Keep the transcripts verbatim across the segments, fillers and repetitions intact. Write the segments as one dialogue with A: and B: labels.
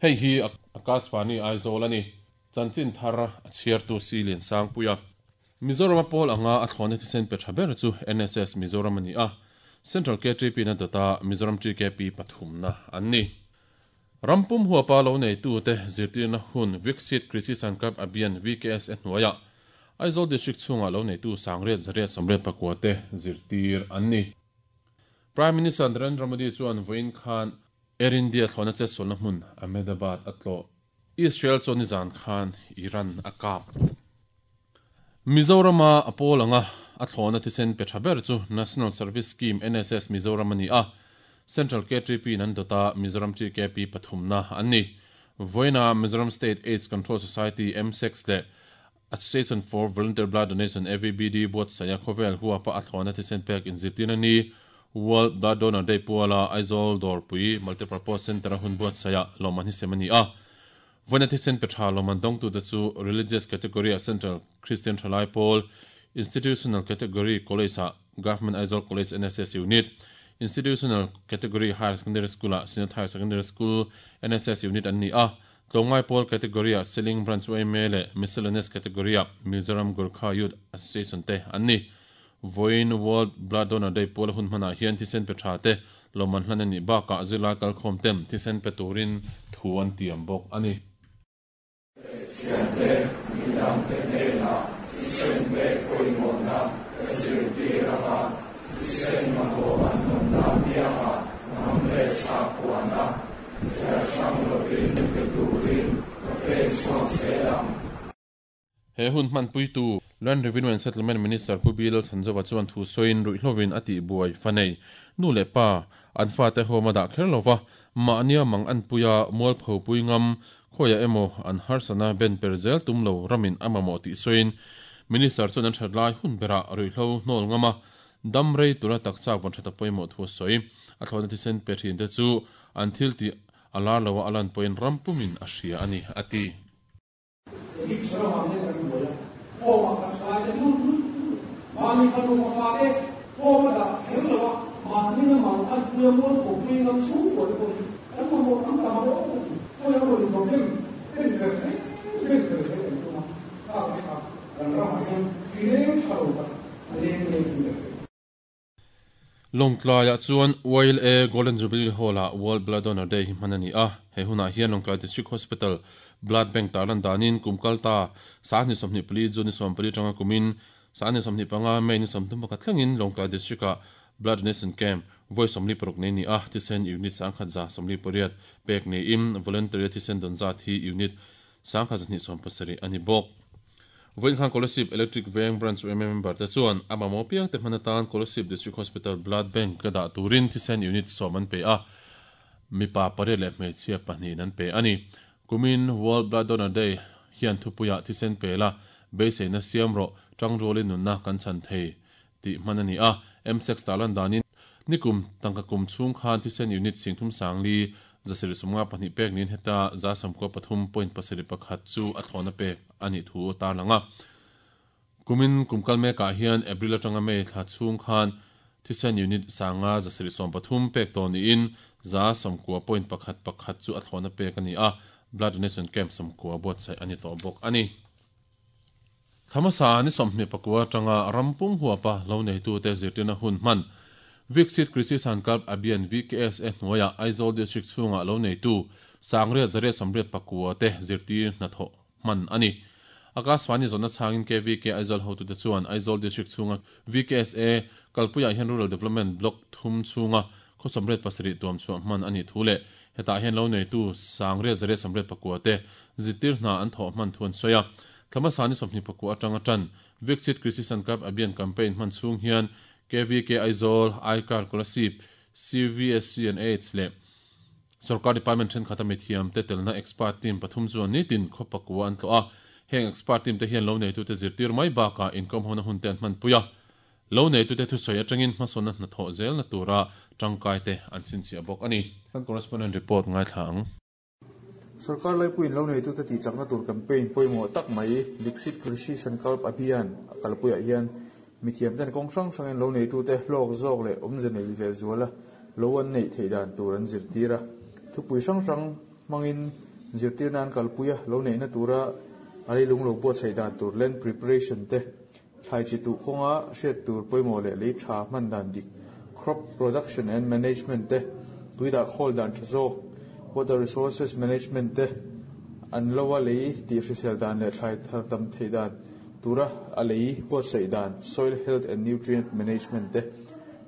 A: Hei hi Akashvani Aizawl ani. Chanchin thar a chhiartu si lian sang puia. Mizoram pawl anga a thlawna thisen pe tha ber chu N S S Mizoram ani a. Central K T P na data Mizoram T K P pathum na an ni. Rampum huapa lo nei tu te zirtirna hun Viksit Krishi Sankalp Abhiyan V K S e hnuaia Aizawl District chunga lo nei tu sangriat zariat sawmriat pakua te zirtir an ni. Prime Minister Narendra Modi chuan vawiin khan Air India thlawna che sualna hmun Ahmedabad atlo. Israel chuan nizan khan Iran a kap. Mizorama a pawl anga a thlawna thisen pe tha ber chu National Service Scheme N S S Mizoram ani a. Central K T P nan dota Mizoram T K P pathumna an ni. Voina Mizoram State AIDS Control Society M S E X le Association for Volunteer Blood Donation A V B D buat saya khovel huwa pa a thlawna thisen pek in zirtirna ni World Blood Donor Day puala Aizawl Dawrpui Multipurpose Center hun buat saya loman hi semani a. Voina thisen pe tha loman dong tu te chu religious category a Central Christian Thalai Pawl, institutional category college a Government Aizawl College N S S Unit, institutional category higher secondary school a Synod Higher Secondary School N S S Unit an ni a. Tlongai pawl category a Seling Branch Y M A le miscellaneous category a Mizoram Gurkha Youth Association te an ni. Voin World Blood Donor Day pawl hun hmana hian thisen pe tha te loman hlan ani ba ka zila kal khom tem thisen pe turin thu an tiam bawk ani.
B: Thiante midang te hnenah thisen pek pawimawhna ka zirtir anga, thisen mamawh an awmna pianga hnam leh sakhuana thliar hrang lovin pe turin ka pen chhuak zel ang.
A: He hun hman puitu Land Revenue and Settlement Minister Pu Bilal Chanzowa chuan thu soin ruihlovin ati buai fanei nu le pa an fa te homa da kher lova ma ania mang an puya mual pho pui ngam khoya emo an harsana ben perzel tumlo ramin amamo ti soin. Minister chuan an thatlai hun bera ruihlo hnol ngama damrei tura takcha bon thata poimo thu soi. A thlona thisen pe thin te chu an thil ti alar lawa alan poin rampumin a hria ani ati.
C: Mani fa nu fa pa te homa da kher lawa mani na mang an puya mual pho pui ngam chu ko ko an mo mo am ta ma ro ko ya ro problem en per se en per se en tu ma ka ka kan ra ma hian kileng tharo ta leng leng in.
A: Longtlai chuan Y L A Golden Jubilee Hall a World Blood Donor Day hi hman ani a. He huna hian Longtlai District Hospital Blood Bank tarlan danin kumkalta sa ni somni pali juni som pali tanga kumin sa ni somni panga mai ni somthum pakhat thlengin Longtlai District a blood donation camp voi somli paruk nei ni a. Thisen unit sangkhat za somli pariat pek ni im voluntary thisen don za thi unit sangkhat ni som pasari ani bok. Voin khan Kolasib Electric Veng Branch Y M A member te chuan amamo piang te hmanatan Kolasib District Hospital Blood Bank ka da turin thisen unit som an pe a, mipa pare le hmeichhia pahnih an pe ani. Kumin World Blood Donor Day hian thupuia thisen pe la beisei na siam ro tang rolin nunna kan chan thei ti hman ani a. M six talan danin nikum tangka kum chung khan thisen unit singthum sangli zasiri sumnga pahnih pek nin heta za samko pathum point pasari pakhat chu a thlawna pek ani thu tar langa. Kumin kumkal me ka hian April atanga May thla chung khan thisen unit sanga zasiri som pathum pek to ni in za samkua point pakhat pakhat chu a thlawna pek ani a. Blood donation camp samkua bot sai ani to bok ani. Thamasa ni somhni pakua tanga rampum huapa lo nei tu te zirtina hun man Viksit Krishi Sankalp Abhiyan V K S e hnuaia Aizawl District chunga lo nei tu sangre zare somre pakua te zirtir na tho man ani. Akashvani zona changin K V K Aizawl hotu te chuan Aizawl District chunga V K S A kalpuya hian Rural Development Block thum chunga khosomret pasari tuam chu man ani thule heta hian lo nei tu sangre zare somre pakua te zitir na an tho man thun soya. Thama sani somni pakua atanga tan Viksit Krishi Sankalp Abhiyan campaign man chung hian K V K Aizawl, ICAR Kolasib, C V S C and AIDS le Sarkar Department then khata mithiam te telna expert team pathum chuan ni tin khopakua an tlo a. Heng expert team te hian lo nei tu te zirtir mai ba ka income hona hun ten man puya lo nei tu te thu soi atangin hmasona na tho zel na tura tangkai te an sin chi abok ani. Kan correspondent report ngai thang.
D: Sarkar lai puin lo nei tu te ti chakna tur campaign poimo tak mai Viksit Krishi Sankalp Abhiyan kalpuya hian mithiam ten kong sang sangin lo nei tu te hlok zawk leh awmze nei leh zuala lo an neih theih dan tur an zirtir a. Thupui hrang hrang hmangin Zirtir nan kalpuia lo neihna tura a leilung lo buatsaih dan tur land preparation te, thlai chi tuh kawnga hriat tur pawimawh leh lei tha hman dan dik crop production and management te, tuidah khawl dan tha zawk water resources management te, an loa lei tih hrisel dan leh thlai thar tam theih dan tura a lei buatsaih dan soil health and nutrient management te,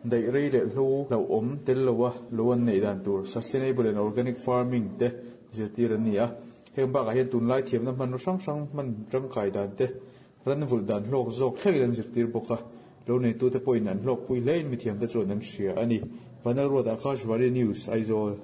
D: daih rei leh hlo lo awm tel loa lo an neih dan tur sustainable and organic farming te zirtir an ni a. Heng bakah hian tunlai thiamna hman hrang hrang hman tangkai dan te, ran vul dan hlawk zawk thlengin an zirtir bawk a. Lo neitu te pawhin an hlawk pui hlein mithiam te chuan an hria a ni. Vanal Road Akashvani News, Aizawl.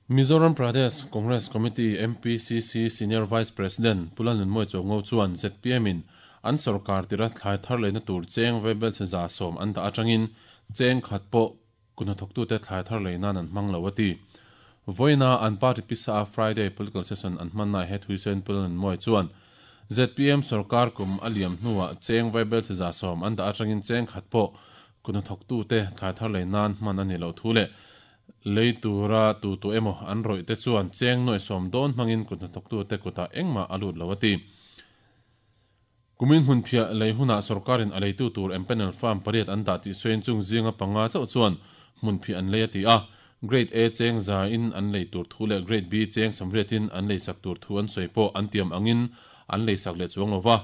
A: Mizoram Pradesh Congress Committee M P C C Senior Vice President Pulan Nunmoi Chongo chuan Z P M in an sarkar tira thlai thar leina tur cheng vebel che za som an da atangin cheng khat po kunathok tu te thlai thar leina an hmang lo ati. Voina an party pisa Friday political session an hman nai het huisen Pulan Nunmoi chuan Z P M sarkar kum aliam hnuwa cheng vebel che za som an da atangin cheng khat po kunathok tu te thlai thar leina an hman ani lo thule leitura tu tu emo an roi te chuan cheng noi som don mangin kunathok tu te kuta engma alut lawati. Kumin hun phia leihuna sarkarin aleitu tur empanel farm pariat an da ti soin chung zinga panga chau chuan mun phi an leati a. Grade A cheng za in an lei tur thu le Grade B cheng samriatin an lei sak tur thu an soipo an tiam angin an lei sak le chuang lova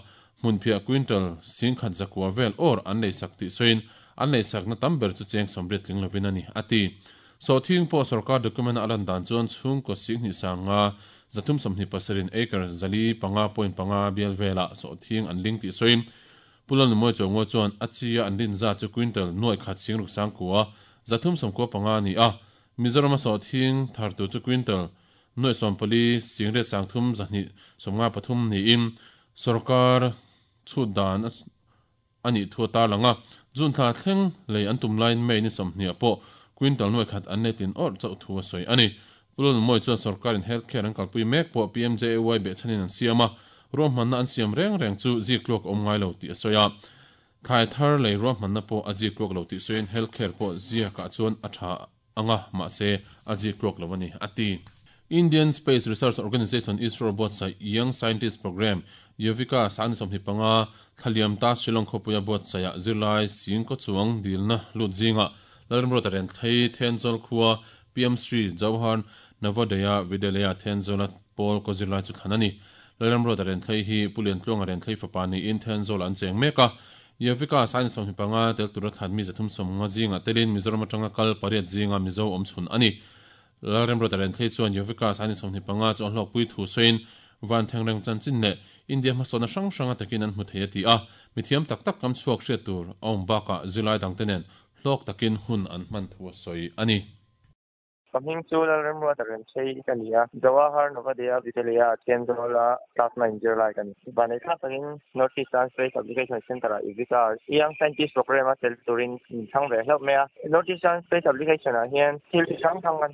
A: mun phia quintal sing khat zakwa vel or an lei sak ti soin an lei sak na tamber chu cheng samriat tling lovin ani ati. So thing po sarkar document alan dan chuan chung ko sing ni sanga zathum samhni pasarin acre zali panga point panga bial vela so thing an ling ti soin Pulan moi chongo chuan achia an lin za chu quintal noi khat sing ruk sang kuwa zathum sam ko panga ni a. Mizoram so thing thar tu chu quintal noi som pali sing re sang thum zahni somnga pathum ni in sarkar chu dan ani thu ta langa jun tha thleng lei an tum line mai ni somhni po quintal noi khat an netin or chau thu soi ani. Pulon moi chuan sarkarin healthcare an kalpui mek po P M J A Y be chanin an siama rom manna an siam reng reng chu ziklok om ngai lo ti soya thai thar lei rom manna po a ziklok lo ti soin healthcare po zia ka chuan a tha anga ma se a ziklok lo ani ati. Indian Space Research Organization ISRO bot sa Young Scientist Program Yovika san somhi panga thaliam ta Shillong khopuya bot sa ya zirlai sing ko chuang dilna lut zinga lalram ro taren thei Thenzawl khuwa P M Sri Jawahar Navodaya Vidyalaya Thenzawl Paul ko zirlai chu thanani lalram ro taren thei hi pulian tlong aren thei fapani in Thenzawl an cheng meka Yovika san somhi panga tel tura thanmi zathum som nga zinga telin Mizoram atanga kal pariat zinga Mizo omchhun ani lalram ro taren thei chuan Yovika san somhi panga chu hlok pui thu soin van thengreng chanchin ne India ma sona sang sanga takin an hmu thei ati a mithiam tak tak kam chuak hriat tur awm baka zilai dangtenen hlok takin hun an hman thu soi ani.
E: Kaming chu lalram ro taren thei kania Jawahar Navodaya Vidyalaya Thenzawl class nine zero lai kan banai kha takin North Eastern Space Application Center Ivika Young Scientist Program a tel turin thang ve hlok mea North Eastern Space Application a hian thil sang thang kan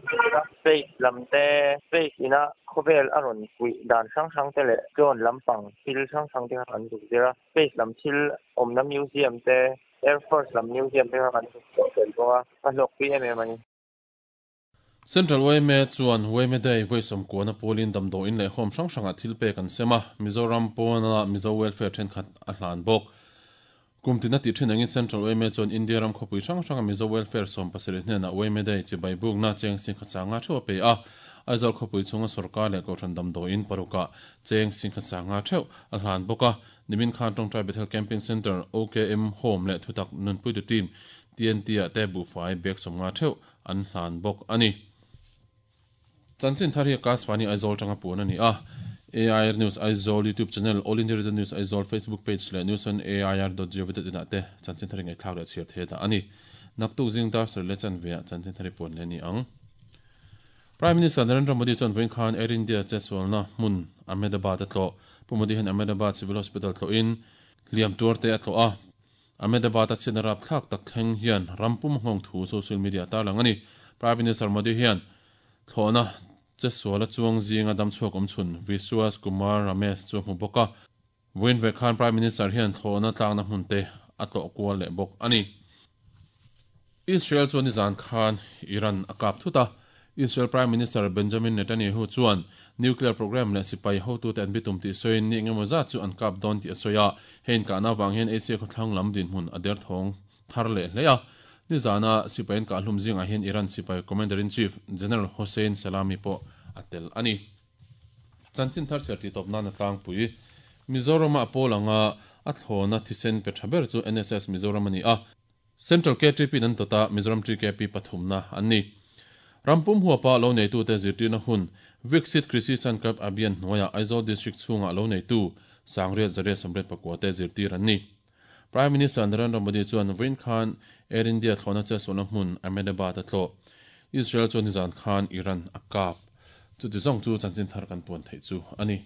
E: space lamte space ina khovel aron pui dan sang sang te le drone lampang thil sang sang te kan du zera space lam thil omna museum te Air Force lam museum te kan tel boa a hlok pi em em ani.
A: Central Y M A chuan Y M A Day voisom kuana polin damdo in le hom sang sanga thilpe kan sema Mizoram pona Mizo Welfare then khat a hlan bok kumtina ti thin angin Central Y M A chuan India ram khopui sang sanga Mizo Welfare som pasarih hne na Y M A Day chi baibuk na cheng sing khachanga theu pe a Aizawl khopui chunga sarkar le kothan damdo in paruka cheng sing khachanga theu a hlan boka nimin khan tongtrai Bethel Camping Center O K M Home le thutak nunpui tu team T N T a te bu fai bek somnga theu an hlan bok ani. Chanchin thar hi Akashvani Aizawl tanga pun ani a A I R News Aizawl YouTube channel All India Radio News Aizawl Facebook page le news on A I R dot gov dot in ate chanchin thar ngai thlak le chhiar the da ani naktuk jing dar sar le chan ve chanchin thar pun le ni ang. Prime Minister Narendra Modi chuan voin khan Air India che sualna hmun Ahmedabad atlo Pu Modi han Ahmedabad Civil Hospital tlo in liam tur te atlo a Ahmedabad a chinarap thlak tak thleng hian rampum hong thu social media ta lang ani. Prime Minister Modi hian thlona che suala chuang zinga dam chuak om chhun Vishwas Kumar Ramesh chu hmu boka Win ve khan Prime Minister hian thlona tlangna hmun te atlo kual le bok ani. Israel chuan ni zan khan Iran akap thuta Israel Prime Minister Benjamin Netanyahu chuan nuclear program leh sipai hotu te an bitum tih sawiin ni engemaw zat chu an kap dawn tih a sawi a. Hei inkahna avang hian Asia khawthlang lam dinhmun a derthawng thar leh hle a. Nizana sipai an kah hlum zingah hian Iran sipai Commander-in-Chief General Hossein Salami pawh a tel a ni. Chanchin thar chhiar tih tawp nan a tlangpui. Mizoram-a pawl anga a thlawna thisen pe tha ber chu N S S Mizoram a ni a. Central K T P an tawta Mizoram T K P pathumna an ni. Rampum huapa lo neitute zirtirna hun Viksit Krishi Sankalp Abhiyan hnuaiah Aizawl District chhungah lo neitu sangriat zariat sawmriat pakua te zirtir an ni. Prime Minister Narendra Modi chuan vawiin khan Air India thlawhna chetsualna hmun Ahmedabad a tlawh. Israel chuan nizan khan Iran a kap. Chuti zawng chu chanchin thar kan puan theih chu a ni.